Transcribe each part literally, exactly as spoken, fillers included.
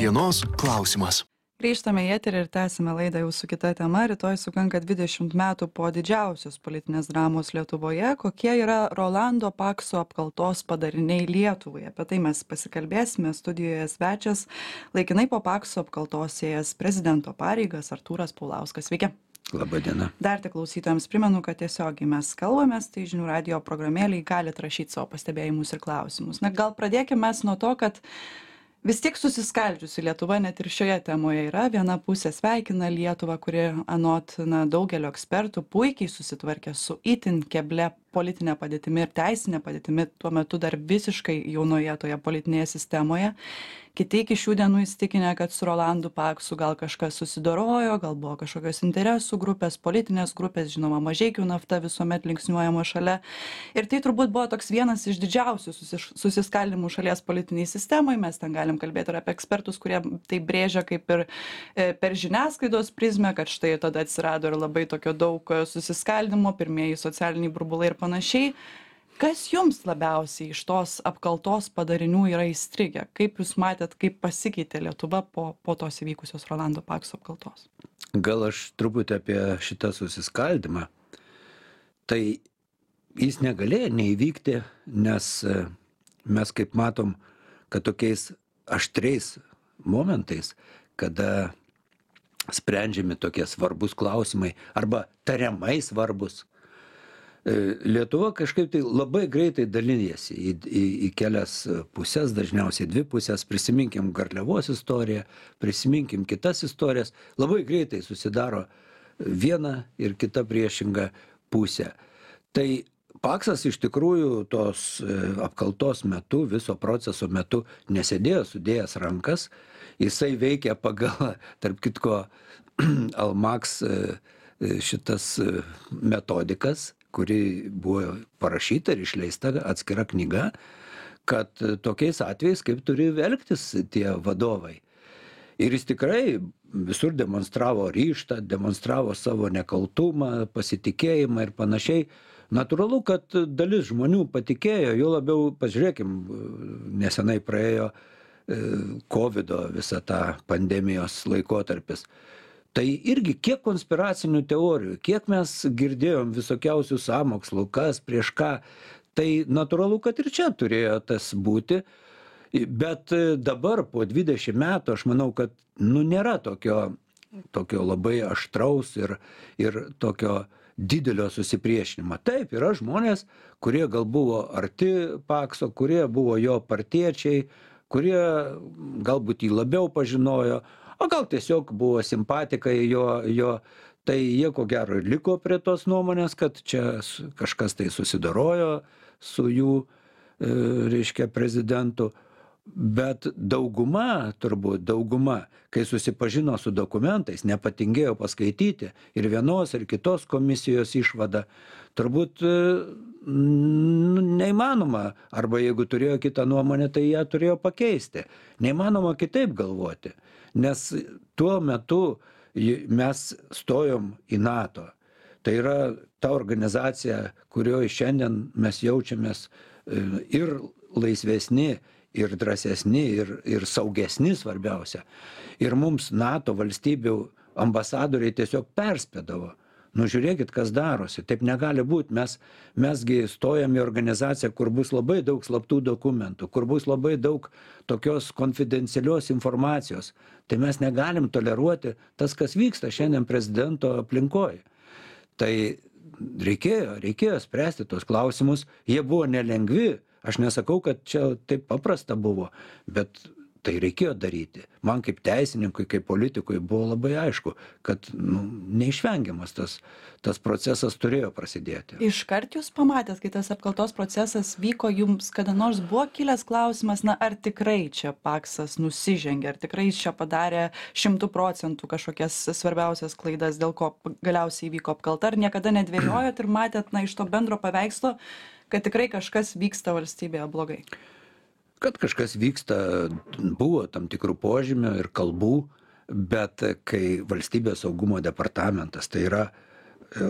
Dienos klausimas. Grįžtame į eterį ir tęsime laidą jau su kita tema. Rytoj sukanka dvidešimt metų po didžiausios politinės dramos Lietuvoje. Kokie yra Rolando Pakso apkaltos padariniai Lietuvai? Apie tai mes pasikalbėsime. Studijoje svečias laikinai po Pakso apkaltos ėjęs prezidento pareigas Artūras Paulauskas. Sveiki. Labadiena. Dar tik klausytojams primenu, kad tiesiogiai mes kalbamės, tai žinių radio programėlėje galite rašyti savo pastebėjimus ir klausimus. Na, gal pradėkime mes nuo to, kad vis tiek susiskaldžiusi Lietuva net ir šioje temoje yra. Viena pusė sveikina Lietuvą, kuri anot na, daugelio ekspertų puikiai susitvarkė su itin keble politinė padėtimi ir teisinė padėtimi, tuo metu dar visiškai jaunoje toje politinėje sistemoje. Kiti iki šių dienų įsitikinę, kad su Rolandu Paksu gal kažkas susidorojo, gal buvo kažkokios interesų grupės, politinės grupės, žinoma, Mažeikių nafta visuomet linksniuojama šalia. Ir tai turbūt buvo toks vienas iš didžiausių susis, susiskaldimų šalies politiniai sistemai. Mes ten galim kalbėti ir apie ekspertus, kurie tai brėžia kaip ir e, per žiniasklaidos prizmę, kad štai tada atsirado ir labai tokio daug susiskaldimo, pirmieji socialiniai burbulai ir panašiai. Kas jums labiausiai iš tos apkaltos padarinių yra įstrigę? Kaip jūs matėt, kaip pasikeitė Lietuva po, po tos įvykusios Rolando Pakso apkaltos? Gal aš truputį apie šitą susiskaldimą. Tai jis negalėjo neįvykti, nes mes kaip matom, kad tokiais aštriais momentais, kada sprendžiami tokie svarbus klausimai arba tariamai svarbus, Lietuva kažkaip tai labai greitai dalinėsi į, į, į kelias pusės, dažniausiai dvi pusės. Prisiminkim Garliavos istoriją, prisiminkim kitas istorijas. Labai greitai susidaro viena ir kita priešinga pusė. Tai Paksas iš tikrųjų tos apkaltos metu, viso proceso metu nesėdėjo sudėjęs rankas. Jisai veikia pagal, tarp kitko, Almaks šitas metodikas, kuri buvo parašyta ir išleista atskira knyga, kad tokiais atvejais kaip turi elgtis tie vadovai. Ir jis tikrai visur demonstravo ryžtą, demonstravo savo nekaltumą, pasitikėjimą ir panašiai. Natūralu, kad dalis žmonių patikėjo, jo labiau, pažiūrėkim, nesenai praėjo kovido visą tą pandemijos laikotarpis. Tai irgi kiek konspiracinių teorijų, kiek mes girdėjom visokiausių sąmokslų, kas prieš ką, tai natūralu, kad ir čia turėjo tas būti. Bet dabar po dvidešimt metų aš manau, kad nu, nėra tokio, tokio labai aštraus ir, ir tokio didelio susipriešinimo. Taip, yra žmonės, kurie gal buvo arti Pakso, kurie buvo jo partiečiai, kurie galbūt jį labiau pažinojo, o gal tiesiog buvo simpatikai jo, jo, tai jie ko gero ir liko prie tos nuomonės, kad čia kažkas tai susidorojo su jų, e, reiškia, prezidentu. Bet dauguma, turbūt dauguma, kai susipažino su dokumentais, nepatingėjo paskaityti ir vienos ir kitos komisijos išvadą, turbūt e, neįmanoma, arba jeigu turėjo kitą nuomonę, tai ją turėjo pakeisti. Neįmanoma kitaip galvoti. Nes tuo metu mes stojom į NATO. Tai yra ta organizacija, kurioje šiandien mes jaučiamės ir laisvesni, ir drąsesni, ir, ir saugesni svarbiausia. Ir mums NATO valstybių ambasadoriai tiesiog perspėdavo. Nu žiūrėkit, kas darosi. Taip negali būti. Mes, mesgi stojam į organizaciją, kur bus labai daug slaptų dokumentų, kur bus labai daug tokios konfidencialios informacijos. Tai mes negalim toleruoti tas, kas vyksta šiandien prezidento aplinkoje. Tai reikėjo, reikėjo spręsti tos klausimus. Jie buvo nelengvi. Aš nesakau, kad čia taip paprasta buvo, bet tai reikėjo daryti. Man kaip teisininkui, kaip politikui buvo labai aišku, kad nu, neišvengiamas tas, tas procesas turėjo prasidėti. Iškart jūs pamatėt, kai tas apkaltos procesas vyko, jums kada nors buvo kilęs klausimas, na ar tikrai čia Paksas nusižengė, ar tikrai čia padarė šimtų procentų kažkokias svarbiausias klaidas, dėl ko galiausiai vyko apkalta, ar niekada nedvejojot ir matėt na, iš to bendro paveikslo, kad tikrai kažkas vyksta valstybėje blogai? Kad kažkas vyksta, buvo tam tikrų požymių ir kalbų, bet kai Valstybės saugumo departamentas, tai yra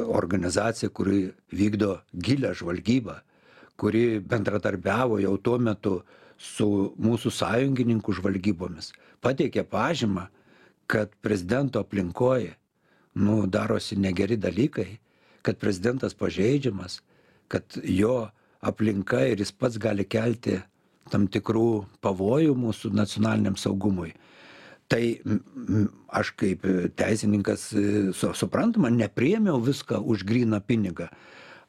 organizacija, kuri vykdo gilią žvalgybą, kuri bendradarbiavo jau tuo metu su mūsų sąjungininkų žvalgybomis, pateikė pažymą, kad prezidento aplinkoje nu, darosi negeri dalykai, kad prezidentas pažeidžiamas, kad jo aplinka ir jis pats gali kelti tam tikrų pavojų mūsų nacionaliniam saugumui. Tai aš kaip teisininkas su, suprantama, nepriėmiau viską už gryną pinigą.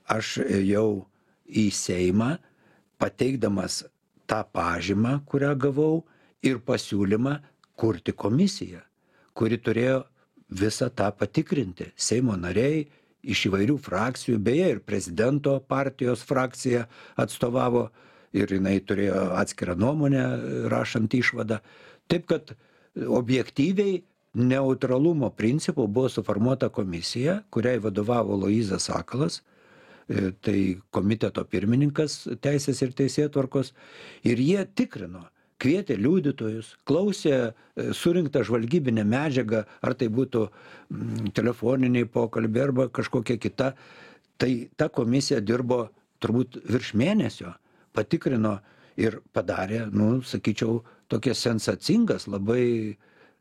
Aš ėjau į Seimą, pateikdamas tą pažymą, kurią gavau, ir pasiūlymą kurti komisiją, kuri turėjo visą tą patikrinti. Seimo nariai iš įvairių frakcijų, beje, ir prezidento partijos frakcija atstovavo, ir jinai turėjo atskirą nuomonę, rašant išvadą. Taip, kad objektyviai neutralumo principu buvo suformuota komisija, kuriai vadovavo Aloyzas Sakalas, tai komiteto pirmininkas Teisės ir teisėtvarkos, ir jie tikrino, kvietė liudytojus, klausė surinktą žvalgybinę medžiagą, ar tai būtų telefoniniai pokalbiai arba kažkokia kita. Tai ta komisija dirbo turbūt virš mėnesio, patikrino ir padarė, nu, sakyčiau, tokias sensacingas, labai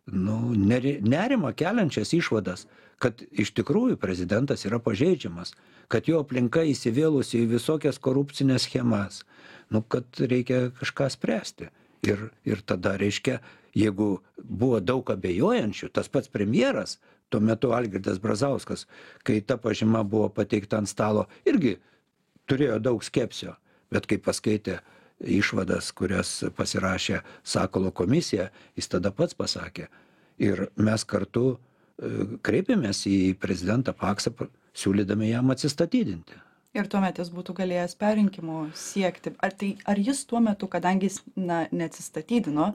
nu, nerimą keliančias išvadas, kad iš tikrųjų prezidentas yra pažeidžiamas, kad jo aplinka įsivėlusi į visokias korupcinės schemas, nu, kad reikia kažką spręsti. Ir, ir tada, reiškia, jeigu buvo daug abejojančių, tas pats premjeras, tuo metu Algirdas Brazauskas, kai ta pažyma buvo pateikta ant stalo, irgi turėjo daug skepsio, bet kai paskaitė išvadas, kurias pasirašė Sakalo komisija, jis tada pats pasakė. Ir mes kartu kreipėmės į prezidentą Paksą, siūlydami jam atsistatydinti. Ir tuomet jis būtų galėjęs perrinkimų siekti. Ar, tai, ar jis tuo metu, kadangi jis na, neatsistatydino,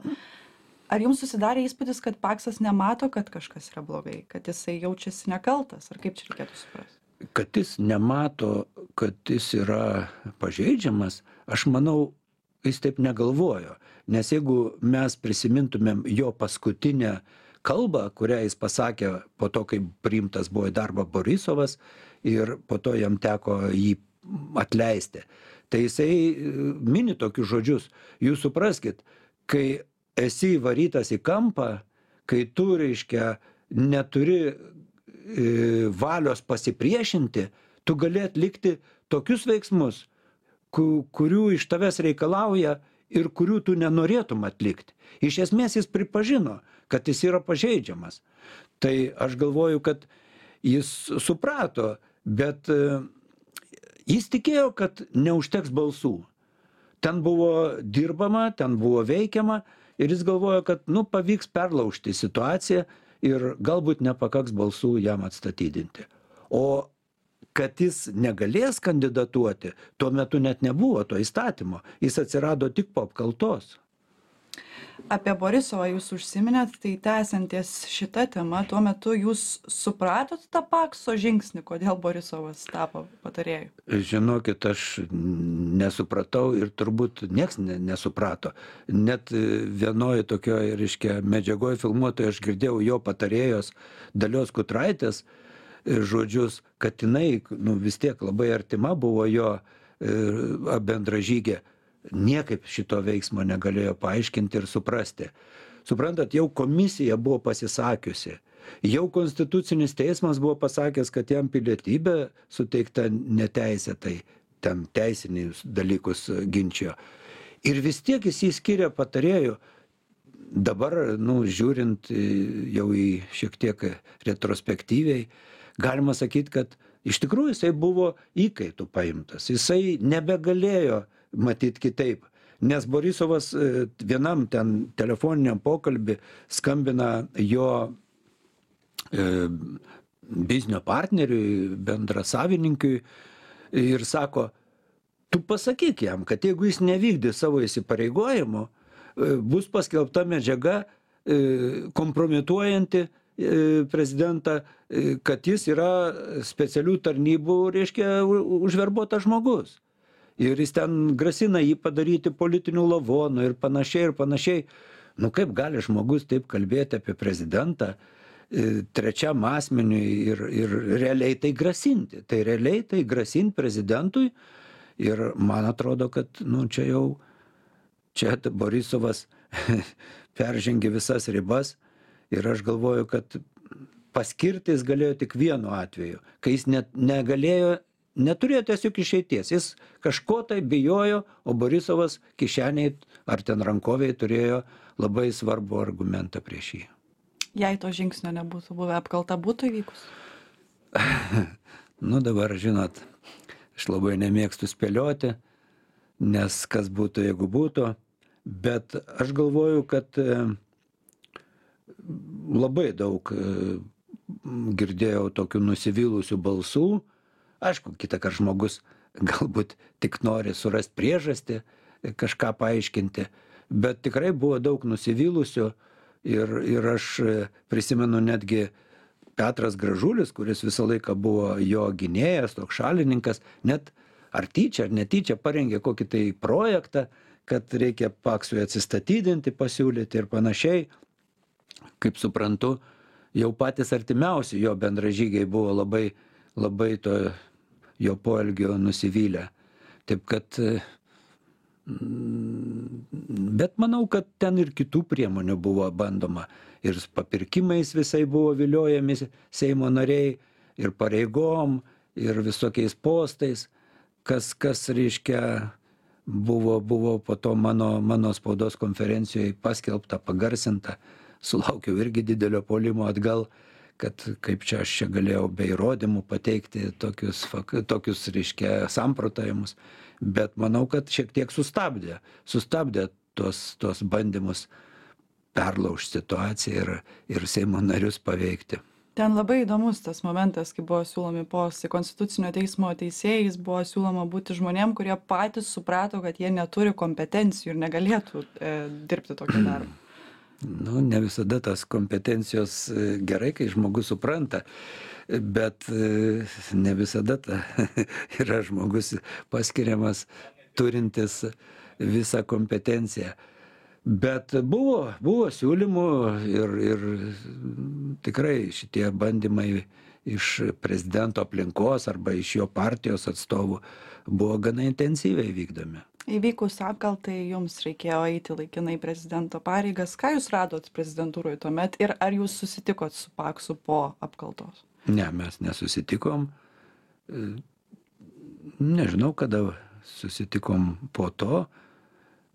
ar jums susidarė įspūdis, kad Paksas nemato, kad kažkas yra blogai, kad jisai jaučiasi nekaltas, ar kaip čia reikėtų suprasti? Kad jis nemato, kad jis yra pažeidžiamas, aš manau, jis taip negalvojo. Nes jeigu mes prisimintumėm jo paskutinę kalbą, kurią jis pasakė po to, kai priimtas buvo į darbą Borisovas ir po to jam teko jį atleisti. Tai jisai mini tokius žodžius. Jūs supraskit, kai esi įvarytas į kampą, kai tu, reiškia, neturi valios pasipriešinti, tu gali atlikti tokius veiksmus, kurių iš tavęs reikalauja ir kurių tu nenorėtum atlikti. Iš esmės jis pripažino, kad jis yra pažeidžiamas. Tai aš galvoju, kad jis suprato, bet jis tikėjo, kad neužteks balsų. Ten buvo dirbama, ten buvo veikiama ir jis galvojo, kad nu, pavyks perlaužti situaciją ir galbūt nepakaks balsų jam atstatydinti. O kad jis negalės kandidatuoti, tuo metu net nebuvo to įstatymo. Jis atsirado tik po apkaltos. Apie Borisovą jūs užsiminėt, tai tęsianties šitą temą, tuo metu jūs supratot tą Pakso žingsnį, kodėl Borisovas tapo patarėju? Žinokit, aš nesupratau ir turbūt nieks nesuprato. Net vienoje tokioje, reiškia, medžiagoje filmuotoje aš girdėjau jo patarėjos Dalios Kutraitės žodžius, kad jinai nu, vis tiek labai artima buvo jo bendražygė. Niekaip šito veiksmo negalėjo paaiškinti ir suprasti. Suprantat, jau komisija buvo pasisakiusi, jau Konstitucinis teismas buvo pasakęs, kad jam pilietybė suteikta neteisėtai, ten teisinius dalykus ginčijo. Ir vis tiek jis jį skiria patarėjų. Dabar, nu, žiūrint jau į šiek tiek retrospektyviai, galima sakyti, kad iš tikrųjų jisai buvo įkaitų paimtas. Jisai nebegalėjo matyt kitaip. Nes Borisovas vienam ten telefoniniam pokalbį skambina jo e, biznio partneriui, bendrasavininkiui ir sako, tu pasakyk jam, kad jeigu jis nevykdė savo įsipareigojimo, e, bus paskelbta medžiaga e, kompromituojanti e, prezidentą, e, kad jis yra specialių tarnybų, reiškia, užverbuotas žmogus. Ir jis ten grasina jį padaryti politinių lavonų ir panašiai ir panašiai. Nu kaip gali žmogus taip kalbėti apie prezidentą trečiam asmeniui ir, ir realiai tai grasinti. Tai realiai tai grasinti prezidentui ir man atrodo, kad nu, čia jau čia Borisovas peržengė visas ribas ir aš galvoju, kad paskirti jis galėjo tik vienu atveju, kai jis net negalėjo, neturėjo tiesiog išeities. Jis kažko tai bijojo, o Borisovas kišeniai ar ten rankoviai turėjo labai svarbų argumentą prieš jį. Jei to žingsnio nebūtų buvę, apkalta būtų įvykus? Nu dabar, žinot, aš labai nemėgstu spėlioti, nes kas būtų, jeigu būtų, bet aš galvoju, kad labai daug girdėjau tokių nusivylusių balsų. Aišku, kitąkart žmogus galbūt tik nori surasti priežastį, kažką paaiškinti, bet tikrai buvo daug nusivylusių ir, ir aš prisimenu netgi Petras Gražulis, kuris visą laiką buvo jo gynėjas, toks šalininkas, net ar tyčia, ar netyčia parengė kokį tai projektą, kad reikia Paksui atsistatydinti, pasiūlyti ir panašiai. Kaip suprantu, jau patys artimiausi jo bendražygiai buvo labai, labai to jo poelgio nusivylę. Taip kad, bet manau, kad ten ir kitų priemonių buvo bandoma. Ir papirkimais visai buvo viliojami Seimo nariai, ir pareigom, ir visokiais postais, kas, kas reiškia, buvo, buvo po to mano, mano spaudos konferencijoje paskelbta, pagarsinta. Sulaukiau irgi didelio puolimo atgal, kad kaip čia aš čia galėjau be įrodymų pateikti tokius, tokius reiškia, samprotavimus. Bet manau, kad šiek tiek sustabdė, sustabdė tos, tos bandymus perlaužti situaciją ir, ir Seimo narius paveikti. Ten labai įdomus tas momentas, kai buvo siūlomi postai Konstitucinio teismo teisėjais, buvo siūloma būti žmonėm, kurie patys suprato, kad jie neturi kompetencijų ir negalėtų e, dirbti tokį darbą. Nu, ne visada tas kompetencijos gerai, kai žmogus supranta, bet ne visada ta yra žmogus paskiriamas turintis visą kompetenciją. Bet buvo, buvo siūlymų ir, ir tikrai šitie bandymai iš prezidento aplinkos arba iš jo partijos atstovų buvo gana intensyviai vykdomi. Įvykus apkaltai jums reikėjo eiti laikinai prezidento pareigas. Ką jūs radot prezidentūroje tuomet ir ar jūs susitikot su Paksu po apkaltos? Ne, mes nesusitikom. Nežinau, kada susitikom po to,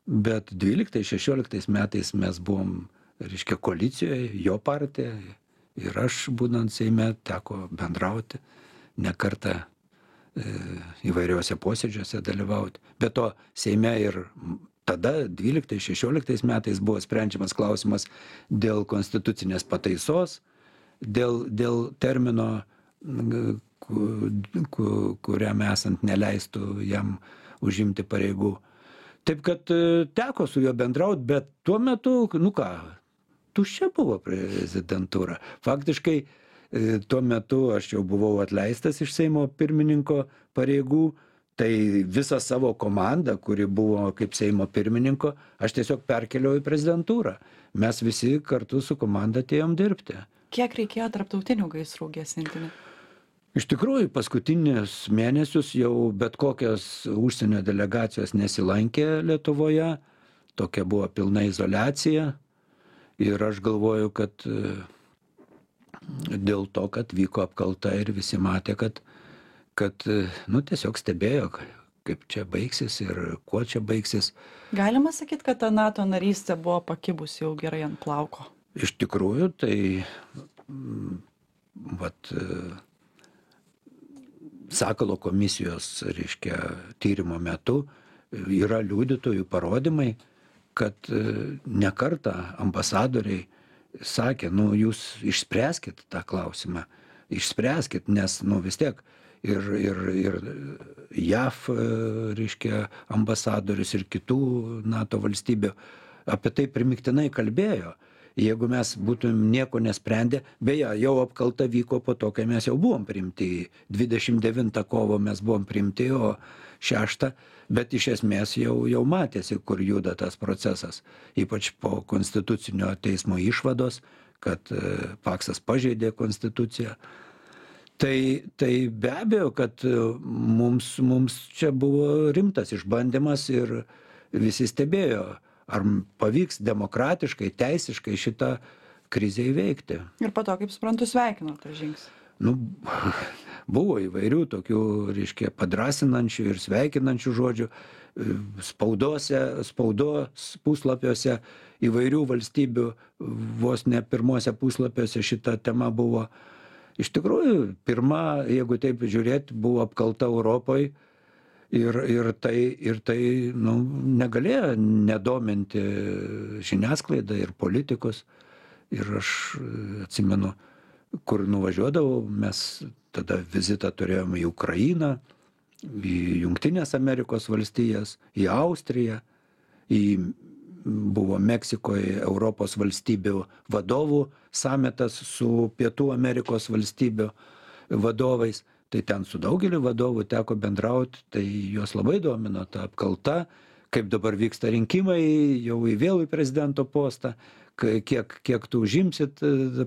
bet dvyliktais šešioliktais metais mes buvom, reiškia, koalicijoje, jo partija, ir aš, būnant Seime, teko bendrauti ne kartą įvairiuose posėdžiuose dalyvauti. Be to, Seime ir tada, dvyliktais šešioliktais metais, buvo sprendžiamas klausimas dėl konstitucinės pataisos, dėl, dėl termino, kuriam esant neleistų jam užimti pareigų. Taip kad teko su juo bendrauti, bet tuo metu, nu ką, tuščia buvo prezidentūra. Faktiškai, tuo metu aš jau buvau atleistas iš Seimo pirmininko pareigų, tai visą savo komandą, kuri buvo kaip Seimo pirmininko, aš tiesiog perkeliau į prezidentūrą. Mes visi kartu su komanda atėjom dirbti. Kiek reikėjo tarptautinių gaisrų gesinti? Iš tikrųjų, paskutinius mėnesius jau bet kokios užsienio delegacijos nesilankė Lietuvoje, tokia buvo pilna izoliacija ir aš galvoju, kad dėl to, kad vyko apkalta ir visi matė, kad, kad nu, tiesiog stebėjo, kaip čia baigsis ir kuo čia baigsis. Galima sakyti, kad ta NATO narystė buvo pakibusi jau gerai ant plauko? Iš tikrųjų, tai vat, Sakalo komisijos, reiškia, tyrimo metu yra liudytojų parodymai, kad ne kartą ambasadoriai sakė, nu, jūs išspręskit tą klausimą, išspręskit, nes, nu, vis tiek ir, ir, ir J A V, reiškia, ambasadorius ir kitų NATO valstybių apie tai primiktinai kalbėjo. Jeigu mes būtum nieko nesprendę, beje, jau apkalta vyko po to, kai mes jau buvom priimti, dvidešimt devintą kovo mes buvom priimti, o šeštą, bet iš esmės jau, jau matėsi, kur juda tas procesas, ypač po konstitucinio teismo išvados, kad Paksas pažeidė konstituciją. Tai, tai be abejo, kad mums, mums čia buvo rimtas išbandymas ir visi stebėjo, ar pavyks demokratiškai, teisiškai šitą krizę įveikti. Ir po to, kaip suprantu, sveikino tą žingsnį. Nu, buvo įvairių tokių, reiškia, padrasinančių ir sveikinančių žodžių. Spaudose, spaudos puslapiuose įvairių valstybių, vos ne pirmuose puslapiuose šita tema buvo. Iš tikrųjų, pirma, jeigu taip žiūrėti, buvo apkalta Europoje ir, ir tai, ir tai nu, negalėjo nedominti žiniasklaidą ir politikus. Ir aš atsimenu, kur nuvažiuodavau, mes tada vizitą turėjome į Ukrainą, į Jungtinės Amerikos valstijas, į Austriją, į buvo Meksikoje Europos valstybių vadovų samitas su Pietų Amerikos valstybių vadovais. Tai ten su daugeliu vadovų teko bendrauti, tai juos labai domino ta apkalta, kaip dabar vyksta rinkimai, jau į vėl į prezidento postą, kiek, kiek tu užimsit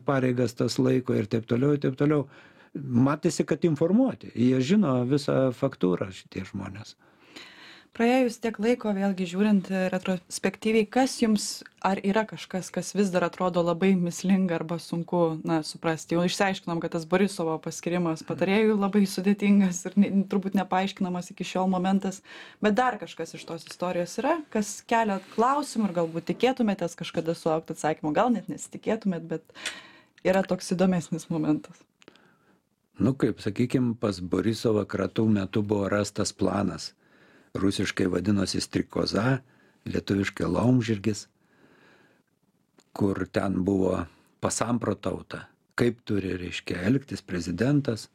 pareigas tas laiko ir taip toliau, ir taip toliau. Matėsi, kad informuoti. Jie žino visą faktūrą šitie žmonės. Praėjus tiek laiko, vėlgi žiūrint retrospektyviai, kas jums, ar yra kažkas, kas vis dar atrodo labai mislinga arba sunku, na, suprasti? Jau išsiaiškinom, kad tas Borisovo paskirimas patarėjų labai sudėtingas ir ne, turbūt nepaaiškinamas iki šiol momentas, bet dar kažkas iš tos istorijos yra, kas kelia klausimų ir galbūt tikėtumėtės kažkada sulaukti atsakymą, gal net nesitikėtumėt, bet yra toks įdomesnis momentas. Nu, kaip, sakykim, pas Borisovą kratų metu buvo rastas planas. Rusiškai vadinosi strikoza, lietuviškai laumžirgis, kur ten buvo pasamprotauta, kaip turi, reiškia, elgtis prezidentas,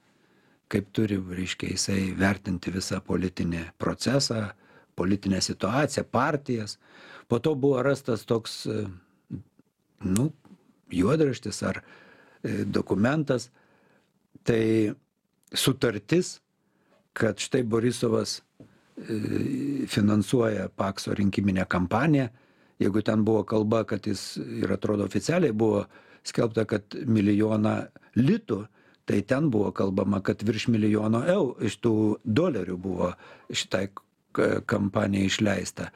kaip turi, reiškia, jisai vertinti visą politinį procesą, politinę situaciją, partijas. Po to buvo rastas toks, nu, juodraštis ar dokumentas, tai sutartis, kad štai Borisovas finansuoja Pakso rinkiminę kampaniją. Jeigu ten buvo kalba, kad jis, ir atrodo oficialiai buvo skelbta, kad milijoną litų, tai ten buvo kalbama, kad virš milijono eurų iš tų dolerių buvo šitai kampanijai išleista.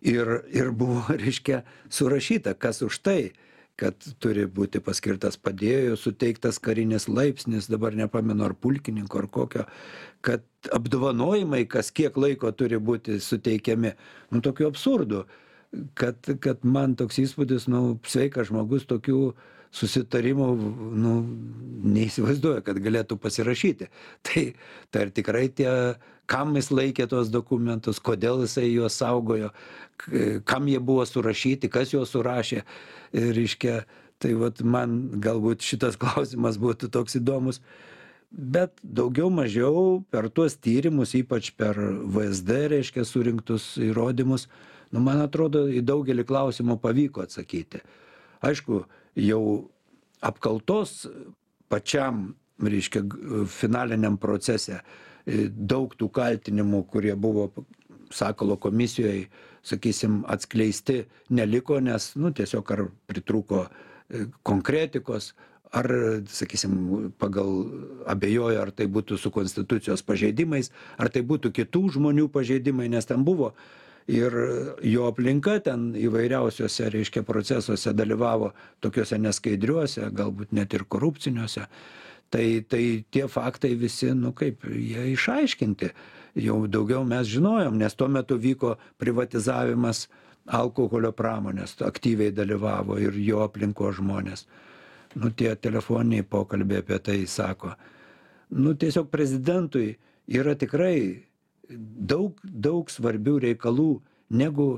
Ir, ir buvo, reiškia, surašyta, kas už tai, kad turi būti paskirtas padėjėjo, suteiktas karinis laipsnis, dabar nepamenu ar pulkininko ar kokio, kad apdovanojimai, kas kiek laiko turi būti suteikiami. Nu, tokių absurdų, kad, kad man toks įspūdis, nu, sveikas žmogus tokių susitarimų, nu, neįsivaizduoja, kad galėtų pasirašyti. Tai, tai ar tikrai tie, kam jis laikė tos dokumentus, kodėl jisai juos saugojo, kam jie buvo surašyti, kas juos surašė. Ir, reiškia, tai vat man galbūt šitas klausimas būtų toks įdomus. Bet daugiau mažiau per tuos tyrimus, ypač per V S D, reiškia, surinktus įrodymus, nu, man atrodo, į daugelį klausimų pavyko atsakyti. Aišku, jau apkaltos pačiam, reiškia, finaliniam procese daug tų kaltinimų, kurie buvo Sakalo komisijoje, sakysim, atskleisti neliko, nes, nu, tiesiog ar pritrūko konkretikos, ar, sakysim, pagal abejojo, ar tai būtų su konstitucijos pažeidimais, ar tai būtų kitų žmonių pažeidimai, nes ten buvo ir jo aplinka ten įvairiausiuose, reiškia, procesuose dalyvavo tokiuose neskaidriuose, galbūt net ir korupciniuose. Tai, tai tie faktai visi, nu kaip, jie išaiškinti. Jau daugiau mes žinojom, nes tuo metu vyko privatizavimas alkoholio pramonės, aktyviai dalyvavo ir jo aplinko žmonės. Nu, tie telefoniniai pokalbiai apie tai sako. Nu, tiesiog prezidentui yra tikrai daug, daug svarbių reikalų, negu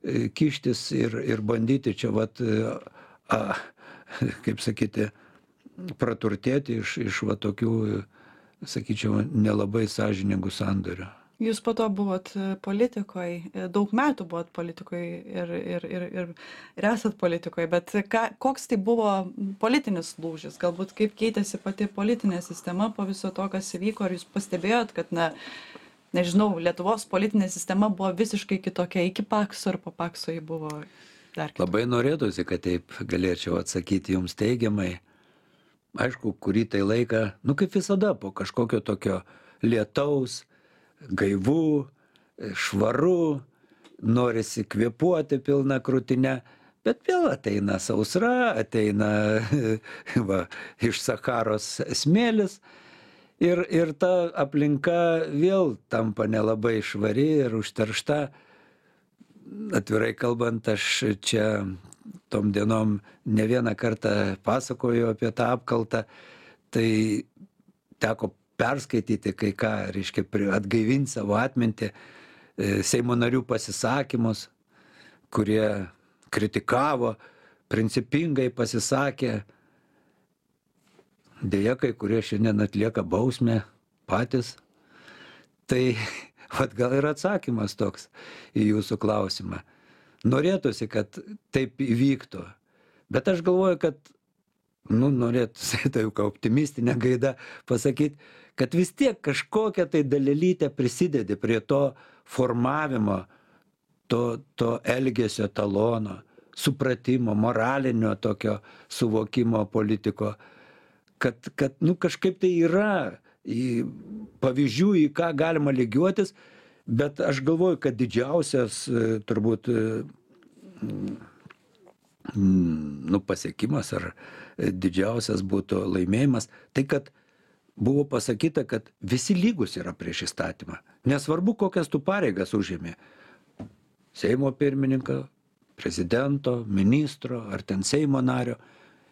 kištis ir, ir bandyti čia, vat, a, kaip sakyti, praturtėti iš, iš va tokių, sakyčiau, nelabai sąžiningų sandorių. Jūs po to buvot politikoje, daug metų buvot politikoje ir, ir, ir, ir, ir esat politikoje, bet ką, koks tai buvo politinis lūžis, galbūt kaip keitėsi pati politinė sistema po viso to, kas įvyko, ar jūs pastebėjot, kad, na, nežinau, Lietuvos politinė sistema buvo visiškai kitokia iki Pakso, ar po Pakso ji buvo dar kitokia? Labai norėtųsi, kad taip galėčiau atsakyti jums teigiamai. Aišku, kurį tai laiką, nu kaip visada, po kažkokio tokio lietaus, gaivų, švaru, norisi kvėpuoti pilna krūtine, bet vėl ateina sausra, ateina va, iš Sacharos smėlis ir, ir ta aplinka vėl tampa nelabai švari ir užteršta. Atvirai kalbant, aš čia tom dienom ne vieną kartą pasakoju apie tą apkaltą, tai teko perskaityti kai ką, reiškia, atgaivinti savo atmintį, Seimo narių pasisakymus, kurie kritikavo, principingai pasisakė. Deja, kai kurie šiandien atlieka bausmę patys. Tai vat gal ir atsakymas toks į jūsų klausimą. Norėtųsi, kad taip įvyktų. Bet aš galvoju, kad, nu, norėtųsi tai jau optimistinę gaidą pasakyti, kad vis tiek kažkokią tai dalelytę prisidedi prie to formavimo, to, to elgesio talono, supratimo, moralinio tokio suvokimo politiko, kad, kad nu, kažkaip tai yra į pavyzdžių, į ką galima lygiuotis, bet aš galvoju, kad didžiausias turbūt nu, pasiekimas ar didžiausias būtų laimėjimas, tai kad buvo pasakyta, kad visi lygus yra prieš įstatymą. Nesvarbu, kokias tu pareigas užėmė. Seimo pirmininko, prezidento, ministro ar ten Seimo nario.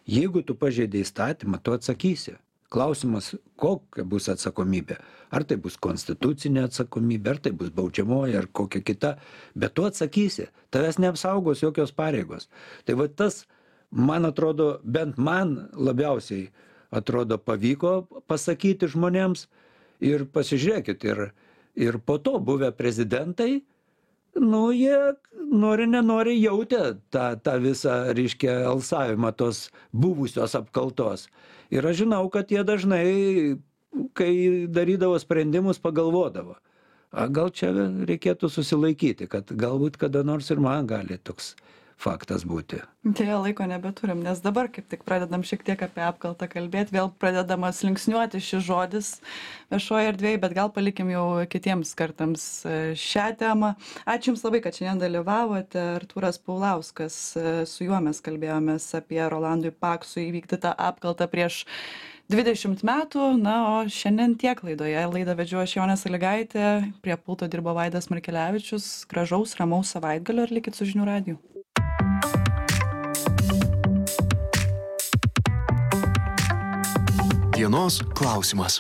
Jeigu tu pažeidė įstatymą, tu atsakysi. Klausimas, kokia bus atsakomybė. Ar tai bus konstitucinė atsakomybė, ar tai bus baudžiamoji, ar kokia kita. Bet tu atsakysi. Tavęs neapsaugos jokios pareigos. Tai va tas, man atrodo, bent man labiausiai atrodo pavyko pasakyti žmonėms. Ir pasižiūrėkit, ir, ir po to buvę prezidentai, nu, jie nori, nenori jautė tą, tą visą, reiškia, alsavimą tos buvusios apkaltos. Ir aš žinau, kad jie dažnai, kai darydavo sprendimus, pagalvodavo. A, gal čia reikėtų susilaikyti, kad galbūt kada nors ir man gali toks faktas būti. Deja, laiko nebeturim, nes dabar kaip tik pradedam šiek tiek apie apkaltą kalbėti, vėl pradedamas linksniuoti šis žodis viešoje erdvėje, bet gal palikim jau kitiems kartams šią temą. Ačiū Jums labai, kad šiandien dalyvavote. Artūras Paulauskas, su juo mes kalbėjomės apie Rolandui Paksui įvykdytą apkaltą prieš dvidešimt metų. Na, o šiandien tiek laidoje. Laidą vedžiau aš Jonė Sąlygaitė, prie pulto dirbo Vaidas Markelevičius. Gražaus, ramaus savaitgalio ir likit su žinių radiju. Dienos klausimas.